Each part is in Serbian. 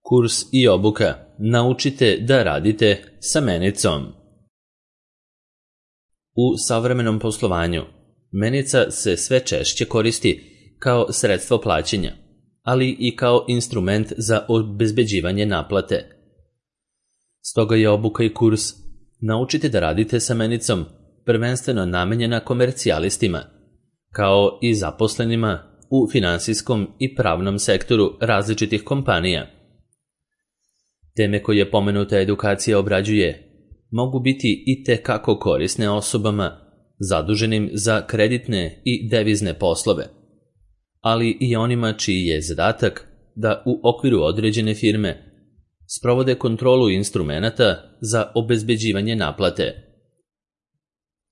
Kurs i obuka. Naučite da radite sa menicom. U savremenom poslovanju menica se sve češće koristi kao sredstvo plaćanja, ali i kao instrument za obezbeđivanje naplate. Stoga je obuka i kurs Naučite da radite sa menicom prvenstveno namenjena komercijalistima, kao i zaposlenima u finansijskom i pravnom sektoru različitih kompanija. Teme koje pomenuta edukacija obrađuje mogu biti i tekako korisne osobama zaduženim za kreditne i devizne poslove, ali i onima čiji je zadatak da u okviru određene firme sprovode kontrolu instrumenata za obezbeđivanje naplate.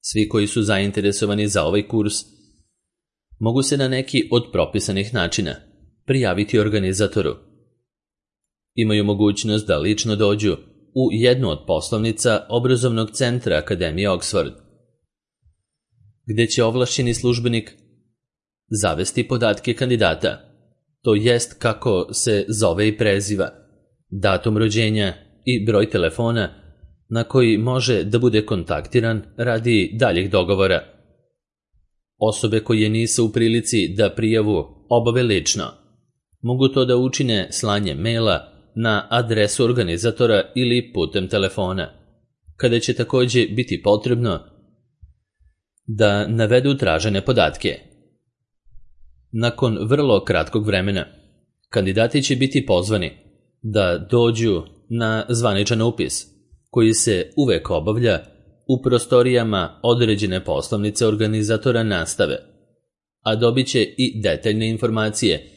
Svi koji su zainteresovani za ovaj kurs mogu se na neki od propisanih načina prijaviti organizatoru. Imaju mogućnost da lično dođu u jednu od poslovnica obrazovnog centra Akademije Oxford, gde će ovlašćeni službenik zavesti podatke kandidata, to jest kako se zove i preziva, datum rođenja i broj telefona na koji može da bude kontaktiran radi daljih dogovora. Osobe koje nisu u prilici da prijavu obave lično mogu to da učine slanjem maila na adresu organizatora ili putem telefona, kada će takođe biti potrebno da navedu tražene podatke. Nakon vrlo kratkog vremena, kandidati će biti pozvani da dođu na zvaničan upis, koji se uvek obavlja u prostorijama određene poslovnice organizatora nastave, a dobit će i detaljne informacije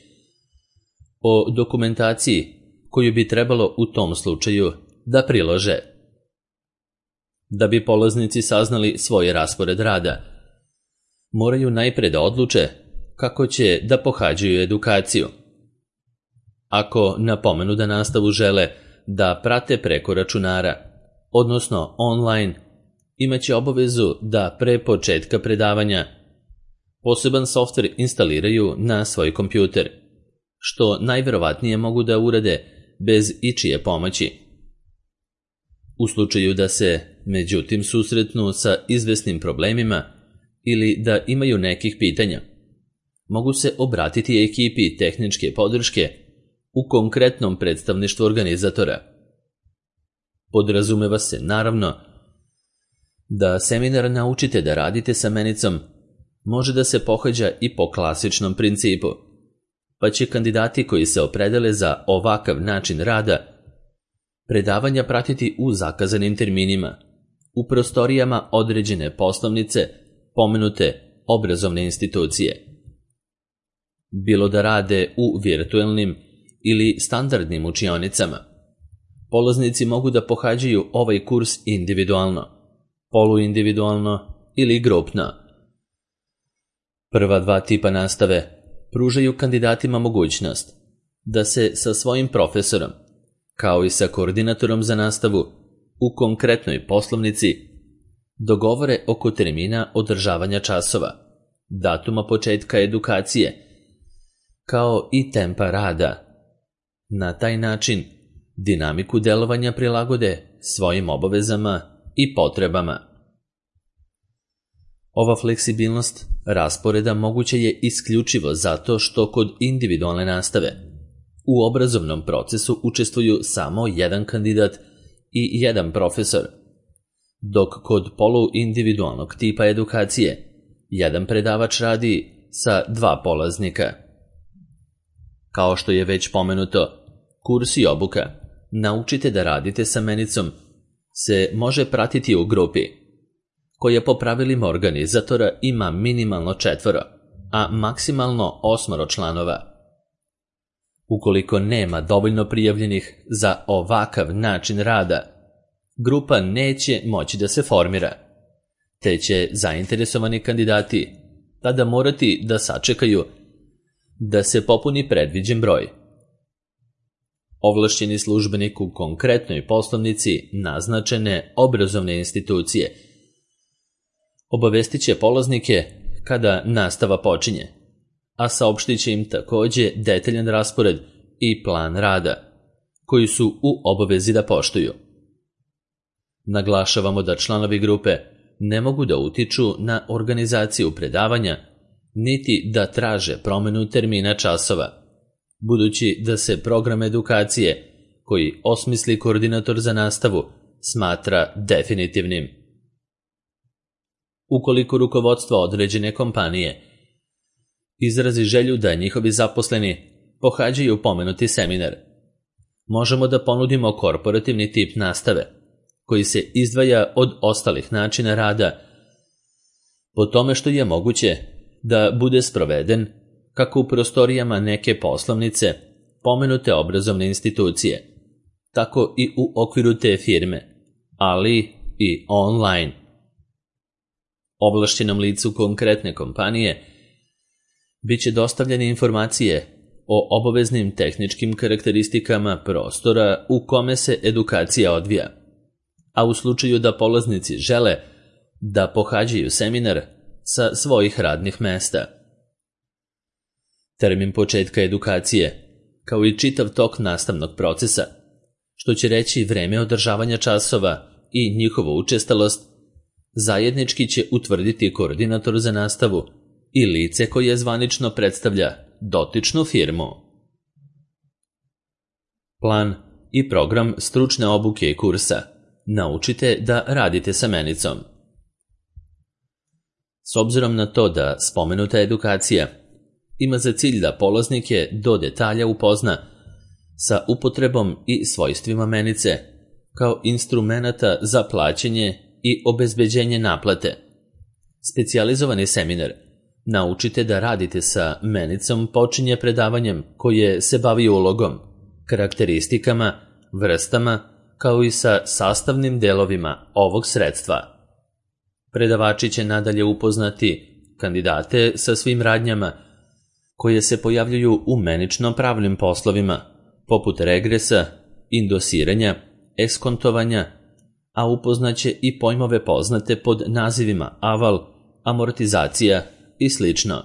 o dokumentaciji koju bi trebalo u tom slučaju da prilože. Da bi polaznici saznali svoj raspored rada, moraju najpre da odluče kako će da pohađaju edukaciju. Ako napomenu da nastavu žele da prate preko računara, odnosno online, imaće obavezu da pre početka predavanja poseban softver instaliraju na svoj kompjuter, što najverovatnije mogu da urade bez ičije pomoći. U slučaju da se, međutim, susretnu sa izvesnim problemima ili da imaju nekih pitanja, mogu se obratiti ekipi tehničke podrške u konkretnom predstavništvu organizatora. Podrazumeva se, naravno, da seminar Naučite da radite sa menicom može da se pohađa i po klasičnom principu, pa će kandidati koji se opredele za ovakav način rada predavanja pratiti u zakazanim terminima, u prostorijama određene poslovnice pomenute obrazovne institucije. Bilo da rade u virtuelnim ili standardnim učionicama, polaznici mogu da pohađaju ovaj kurs individualno, poluindividualno ili grupno. Prva dva tipa nastave pružaju kandidatima mogućnost da se sa svojim profesorom, kao i sa koordinatorom za nastavu u konkretnoj poslovnici, dogovore oko termina održavanja časova, datuma početka edukacije, kao i tempa rada. Na taj način dinamiku delovanja prilagode svojim obavezama i potrebama. Ova fleksibilnost rasporeda moguće je isključivo zato što kod individualne nastave u obrazovnom procesu učestvuju samo jedan kandidat i jedan profesor, dok kod poluindividualnog tipa edukacije jedan predavač radi sa dva polaznika. Kao što je već pomenuto, kurs i obuka Naučite da radite sa menicom se može pratiti u grupi, koja po pravilima organizatora ima minimalno 4, a maksimalno 8 članova. Ukoliko nema dovoljno prijavljenih za ovakav način rada, grupa neće moći da se formira, te će zainteresovani kandidati tada morati da sačekaju da se popuni predviđen broj. Ovlašćeni službenik u konkretnoj poslovnici naznačene obrazovne institucije obavestit će polaznike kada nastava počinje, a saopštit će im takođe detaljan raspored i plan rada, koji su u obavezi da poštuju. Naglašavamo da članovi grupe ne mogu da utiču na organizaciju predavanja, niti da traže promenu termina časova, budući da se program edukacije koji osmisli koordinator za nastavu smatra definitivnim. Ukoliko rukovodstvo određene kompanije izrazi želju da njihovi zaposleni pohađaju pomenuti seminar, možemo da ponudimo korporativni tip nastave, koji se izdvaja od ostalih načina rada po tome što je moguće da bude sproveden kako u prostorijama neke poslovnice pomenute obrazovne institucije, tako i u okviru te firme, ali i online. Ovlašćenom licu konkretne kompanije biće dostavljene informacije o obaveznim tehničkim karakteristikama prostora u kome se edukacija odvija, a u slučaju da polaznici žele da pohađaju seminar sa svojih radnih mesta. Termin početka edukacije, kao i čitav tok nastavnog procesa, što će reći vreme održavanja časova i njihovu učestalost, zajednički će utvrditi koordinator za nastavu i lice koje zvanično predstavlja dotičnu firmu. Plan i program stručne obuke i kursa. Naučite da radite sa menicom. S obzirom na to da spomenuta edukacija ima za cilj da polaznike do detalja upozna sa upotrebom i svojstvima menice kao instrumenata za plaćanje i obezbeđenje naplate, specijalizovani seminar Naučite da radite sa menicom počinje predavanjem koje se bavi ulogom, karakteristikama, vrstama, kao i sa sastavnim delovima ovog sredstva. Predavači će nadalje upoznati kandidate sa svim radnjama koje se pojavljuju u menično-pravnim poslovima, poput regresa, indosiranja, eskontovanja, a upoznaće i pojmove poznate pod nazivima aval, amortizacija i slično.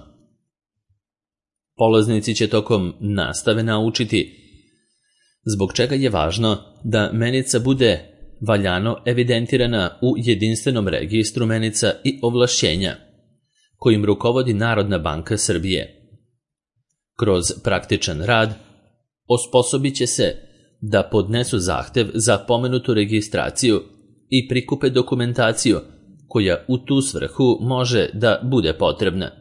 Polaznici će tokom nastave naučiti zbog čega je važno da menica bude valjano evidentirana u jedinstvenom registru menica i ovlašćenja, kojim rukovodi Narodna banka Srbije. Kroz praktičan rad osposobit će se da podnesu zahtev za pomenutu registraciju i prikupe dokumentaciju koja u tu svrhu može da bude potrebna.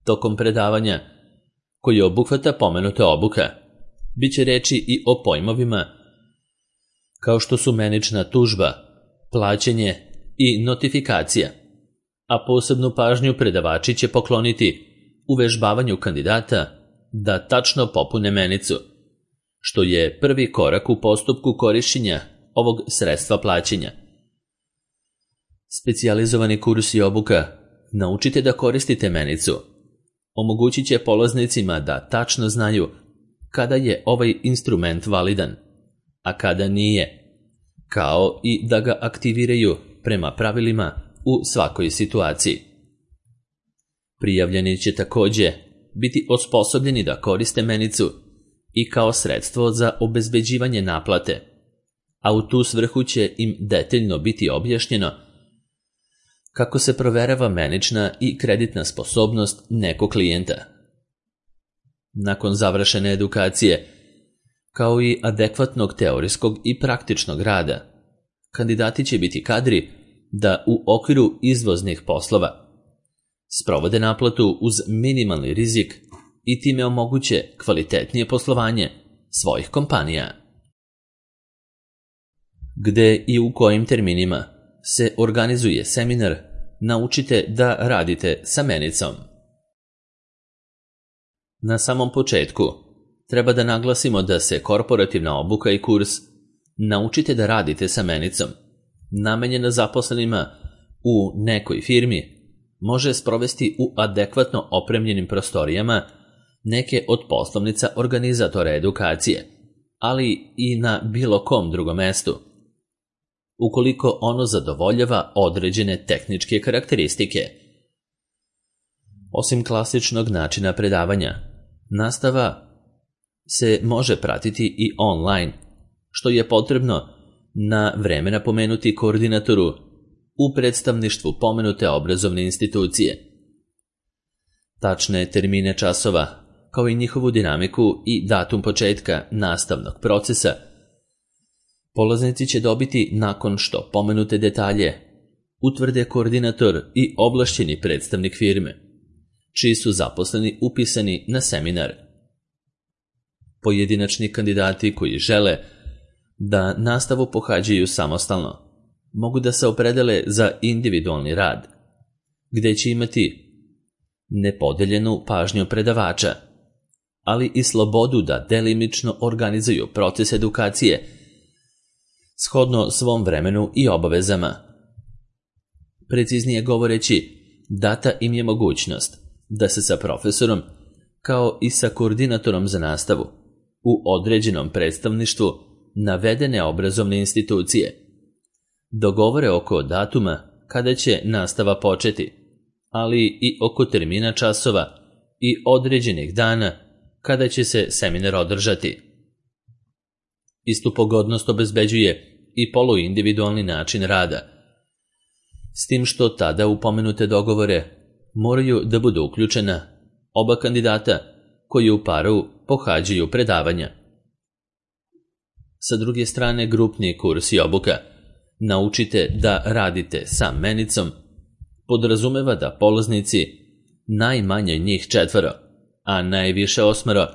Tokom predavanja, koji obuhvata pomenuta obuka, biće reči i o pojmovima kao što su menična tužba, plaćanje i notifikacija, a posebnu pažnju predavači će pokloniti uvežbavanju kandidata da tačno popune menicu, što je prvi korak u postupku korišćenja ovog sredstva plaćanja. Specijalizovani kurs i obuka Naučite da koristite menicu omogućit će polaznicima da tačno znaju kada je ovaj instrument validan, a kada nije, kao i da ga aktiviraju prema pravilima u svakoj situaciji. Prijavljeni će takođe biti osposobljeni da koriste menicu i kao sredstvo za obezbeđivanje naplate, a u tu svrhu će im detaljno biti objašnjeno kako se proverava menična i kreditna sposobnost nekog klijenta. Nakon završene edukacije, kao i adekvatnog teorijskog i praktičnog rada, kandidati će biti kadri da u okviru izvoznih poslova sprovode naplatu uz minimalni rizik i time omoguće kvalitetnije poslovanje svojih kompanija. Gde i u kojim terminima se organizuje seminar Naučite da radite sa menicom. Na samom početku treba da naglasimo da se korporativna obuka i kurs Naučite da radite sa menicom, namenjena zaposlenima u nekoj firmi, može sprovesti u adekvatno opremljenim prostorijama neke od poslovnica organizatora edukacije, ali i na bilo kom drugom mestu, ukoliko ono zadovoljava određene tehničke karakteristike. Osim klasičnog načina predavanja, nastava se može pratiti i online, što je potrebno na vreme napomenuti koordinatoru u predstavništvu pomenute obrazovne institucije. Tačne termine časova, kao i njihovu dinamiku i datum početka nastavnog procesa, polaznici će dobiti nakon što pomenute detalje utvrde koordinator i ovlašćeni predstavnik firme, čiji su zaposleni upisani na seminar. Pojedinačni kandidati koji žele da nastavu pohađaju samostalno mogu da se opredele za individualni rad, gde će imati nepodeljenu pažnju predavača, ali i slobodu da delimično organizuju proces edukacije shodno svom vremenu i obavezama. Preciznije govoreći, data im je mogućnost da se sa profesorom, kao i sa koordinatorom za nastavu, u određenom predstavništvu navedene obrazovne institucije dogovore oko datuma kada će nastava početi, ali i oko termina časova i određenih dana kada će se seminar održati. Istu pogodnost obezbeđuje i poluindividualni način rada, s tim što tada u pomenute dogovore moraju da budu uključena oba kandidata koji u paru pohađaju predavanja. Sa druge strane, grupni kurs i obuka Naučite da radite sa menicom podrazumeva da polaznici, najmanje njih 4, a najviše 8,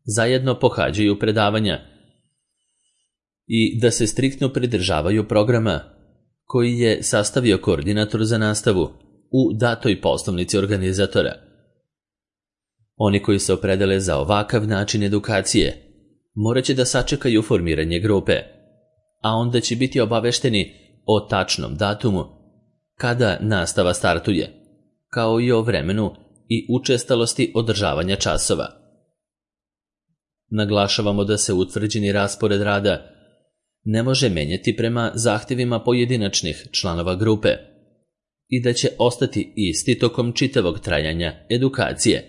zajedno pohađaju predavanja i da se striktno pridržavaju programa koji je sastavio koordinator za nastavu u datoj poslovnici organizatora. Oni koji se opredele za ovakav način edukacije morat će da sačekaju formiranje grupe, a onda će biti obavešteni o tačnom datumu kada nastava startuje, kao i o vremenu i učestalosti održavanja časova. Naglašavamo da se utvrđeni raspored rada ne može menjati prema zahtjevima pojedinačnih članova grupe i da će ostati isti tokom čitavog trajanja edukacije.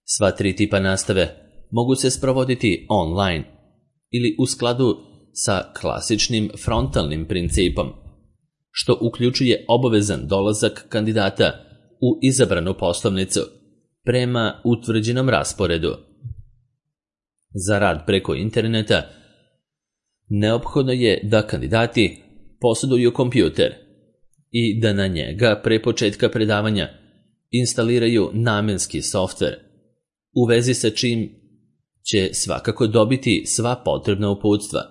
Sva 3 tipa nastave mogu se sprovoditi online ili u skladu sa klasičnim frontalnim principom, što uključuje obavezan dolazak kandidata u izabranu poslovnicu prema utvrđenom rasporedu. Za rad preko interneta neophodno je da kandidati posjeduju kompjuter i da na njega pre početka predavanja instaliraju namenski softver, u vezi sa čim će svakako dobiti sva potrebna uputstva.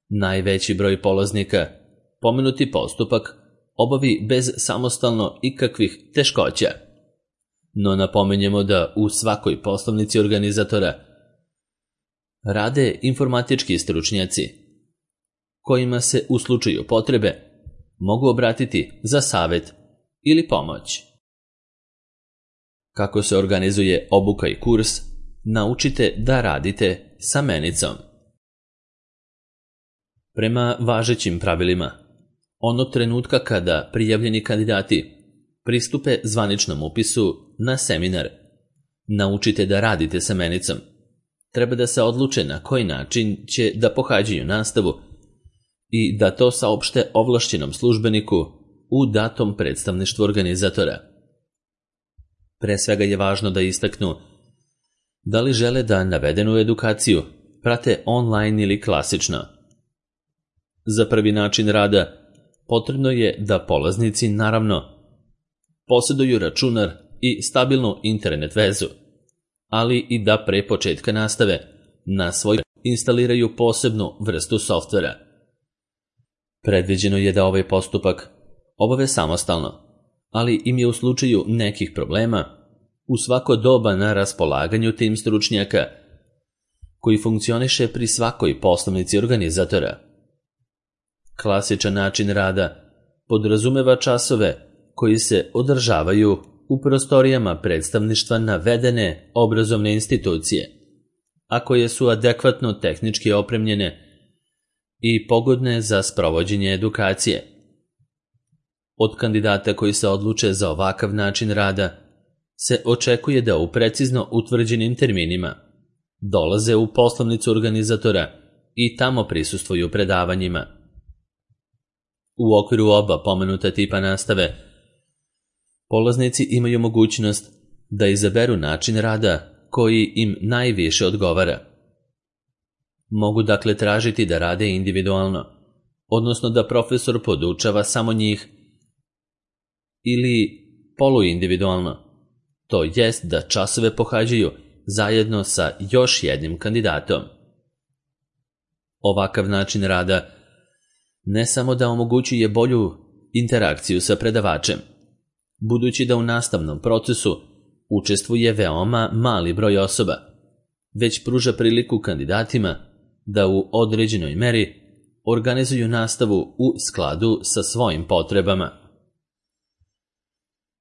Najveći broj polaznika pomenuti postupak obavi bez samostalno ikakvih teškoća, no napomenjemo da u svakoj poslovnici organizatora rade informatički stručnjaci, kojima se u slučaju potrebe mogu obratiti za savjet ili pomoć. Kako se organizuje obuka i kurs, naučite da radite sa menicom. Prema važećim pravilima, onog trenutka kada prijavljeni kandidati pristupe zvaničnom upisu na seminar Naučite da radite sa menicom, treba da se odluče na koji način će da pohađaju nastavu i da to saopšte ovlašćenom službeniku u datom predstavništvu organizatora. Pre svega je važno da istaknu da li žele da navedenu edukaciju prate online ili klasično. Za prvi način rada potrebno je da polaznici, naravno, posjeduju računar i stabilnu internet vezu, ali i da pre početka nastave na svoj instaliraju posebnu vrstu softvera. Predviđeno je da ovaj postupak obave samostalno, ali im je u slučaju nekih problema u svako doba na raspolaganju tim stručnjaka koji funkcioniše pri svakoj poslovnici organizatora. Klasičan način rada podrazumeva časove koji se održavaju u prostorijama predstavništva navedene obrazovne institucije, a koje su adekvatno tehnički opremljene i pogodne za sprovođenje edukacije. Od kandidata koji se odluče za ovakav način rada se očekuje da u precizno utvrđenim terminima dolaze u poslovnicu organizatora i tamo prisustvuju predavanjima. U okviru oba pomenuta tipa nastave, polaznici imaju mogućnost da izaberu način rada koji im najviše odgovara. Mogu dakle tražiti da rade individualno, odnosno da profesor podučava samo njih, ili poluindividualno, to jest da časove pohađaju zajedno sa još jednim kandidatom. Ovakav način rada ne samo da omogućuje bolju interakciju sa predavačem, budući da u nastavnom procesu učestvuje veoma mali broj osoba, već pruža priliku kandidatima da u određenoj meri organizuju nastavu u skladu sa svojim potrebama.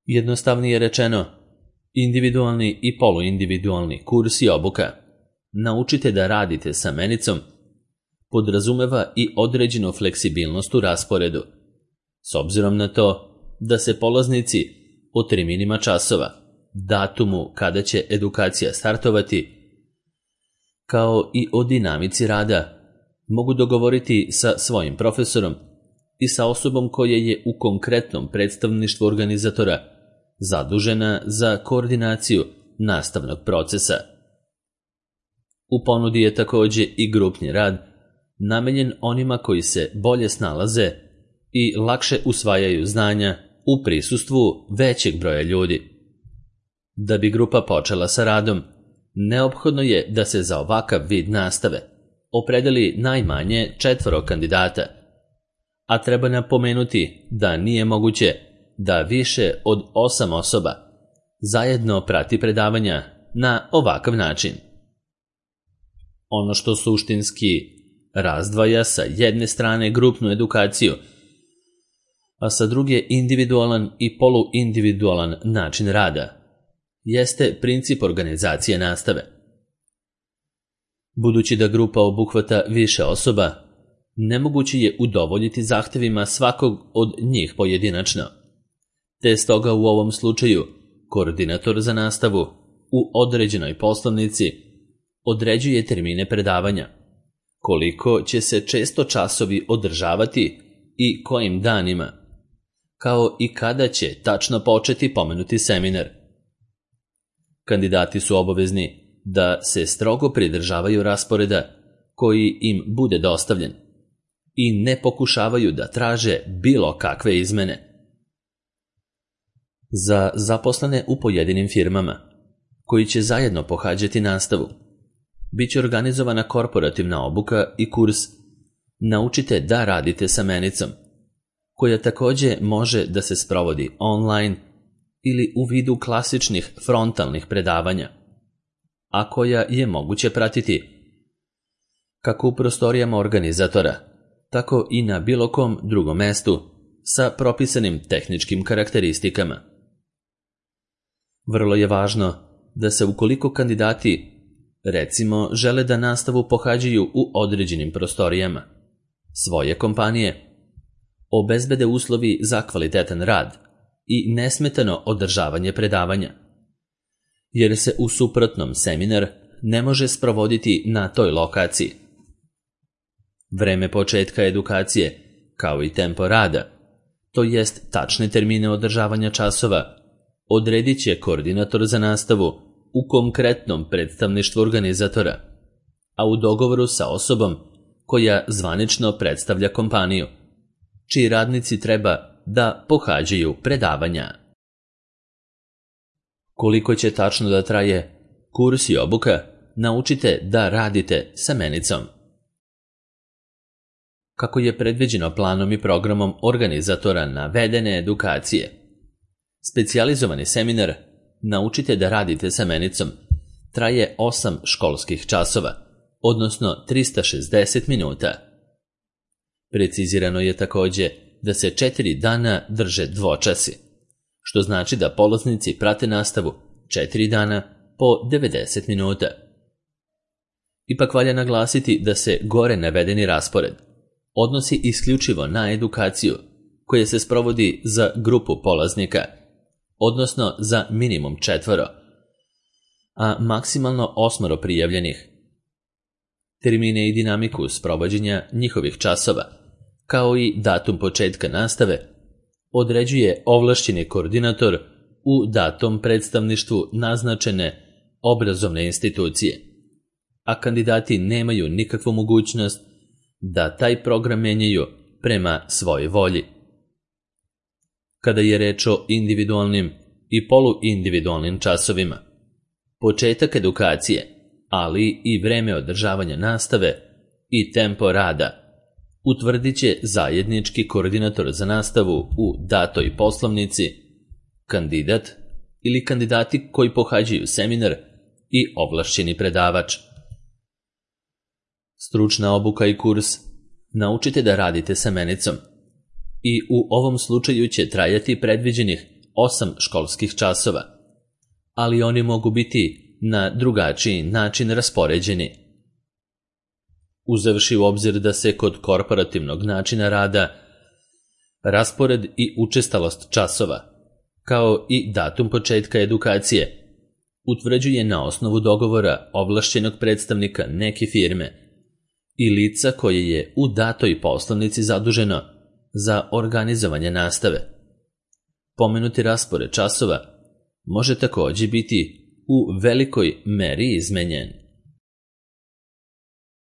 Jednostavnije rečeno, individualni i poluindividualni kurs i obuka Naučite da radite sa menicom podrazumeva i određenu fleksibilnost u rasporedu, s obzirom na to da se polaznici o terminima časova, datumu kada će edukacija startovati, kao i o dinamici rada, mogu dogovoriti sa svojim profesorom i sa osobom koja je u konkretnom predstavništvu organizatora zadužena za koordinaciju nastavnog procesa. U ponudi je također i grupni rad, namenjen onima koji se bolje snalaze i lakše usvajaju znanja u prisustvu većeg broja ljudi. Da bi grupa počela sa radom, neophodno je da se za ovakav vid nastave opredeli najmanje 4 kandidata, a treba napomenuti da nije moguće da više od 8 osoba zajedno prati predavanja na ovakav način. Ono što suštinski razdvaja sa jedne strane grupnu edukaciju, a sa druge individualan i poluindividualan način rada, jeste princip organizacije nastave. Budući da grupa obuhvata više osoba, nemoguće je udovoljiti zahtevima svakog od njih pojedinačno, te stoga u ovom slučaju koordinator za nastavu u određenoj poslovnici određuje termine predavanja, koliko će se često časovi održavati i kojim danima, kao i kada će tačno početi pomenuti seminar. Kandidati su obavezni da se strogo pridržavaju rasporeda koji im bude dostavljen i ne pokušavaju da traže bilo kakve izmene. Za zaposlene u pojedinim firmama, koji će zajedno pohađati nastavu, bit će organizovana korporativna obuka i kurs Naučite da radite sa menicom, koja također može da se sprovodi online ili u vidu klasičnih frontalnih predavanja, a koja je moguće pratiti kako u prostorijama organizatora, tako i na bilo kom drugom mestu sa propisanim tehničkim karakteristikama. Vrlo je važno da se ukoliko kandidati, recimo, žele da nastavu pohađaju u određenim prostorijama svoje kompanije, obezbede uslovi za kvalitetan rad i nesmetano održavanje predavanja, jer se u suprotnom seminar ne može sprovoditi na toj lokaciji. Vreme početka edukacije, kao i tempo rada, to jest tačne termine održavanja časova, odredit će koordinator za nastavu u konkretnom predstavništvu organizatora, a u dogovoru sa osobom koja zvanično predstavlja kompaniju, čiji radnici treba da pohađaju predavanja. Koliko će tačno da traje kurs i obuka Naučite da radite sa menicom? Kako je predviđeno planom i programom organizatora navedene edukacije, specijalizovani seminar Naučite da radite sa menicom traje 8 školskih časova, odnosno 360 minuta. Precizirano je također da se 4 dana drže dvočasi, što znači da polaznici prate nastavu 4 dana po 90 minuta. Ipak valja naglasiti da se gore navedeni raspored odnosi isključivo na edukaciju koja se sprovodi za grupu polaznika, odnosno za minimum 4, a maksimalno 8 prijavljenih. Termine i dinamiku sprovođenja njihovih časova, kao i datum početka nastave, određuje ovlašćeni koordinator u datom predstavništvu naznačene obrazovne institucije, a kandidati nemaju nikakvu mogućnost da taj program menjaju prema svojoj volji. Kada je reč o individualnim i poluindividualnim časovima, početak edukacije, ali i vreme održavanja nastave i tempo rada utvrdit će zajednički koordinator za nastavu u datoj poslovnici, kandidat ili kandidati koji pohađaju seminar i ovlašćeni predavač. Stručna obuka i kurs naučite da radite sa menicom i u ovom slučaju će trajati predviđenih 8 školskih časova, ali oni mogu biti na drugačiji način raspoređeni. Uzevši u obzir da se kod korporativnog načina rada raspored i učestalost časova, kao i datum početka edukacije, utvrđuje na osnovu dogovora ovlašćenog predstavnika neke firme i lica koje je u datoj poslovnici zaduženo za organizovanje nastave. Pomenuti raspored časova može također biti u velikoj meri izmenjen.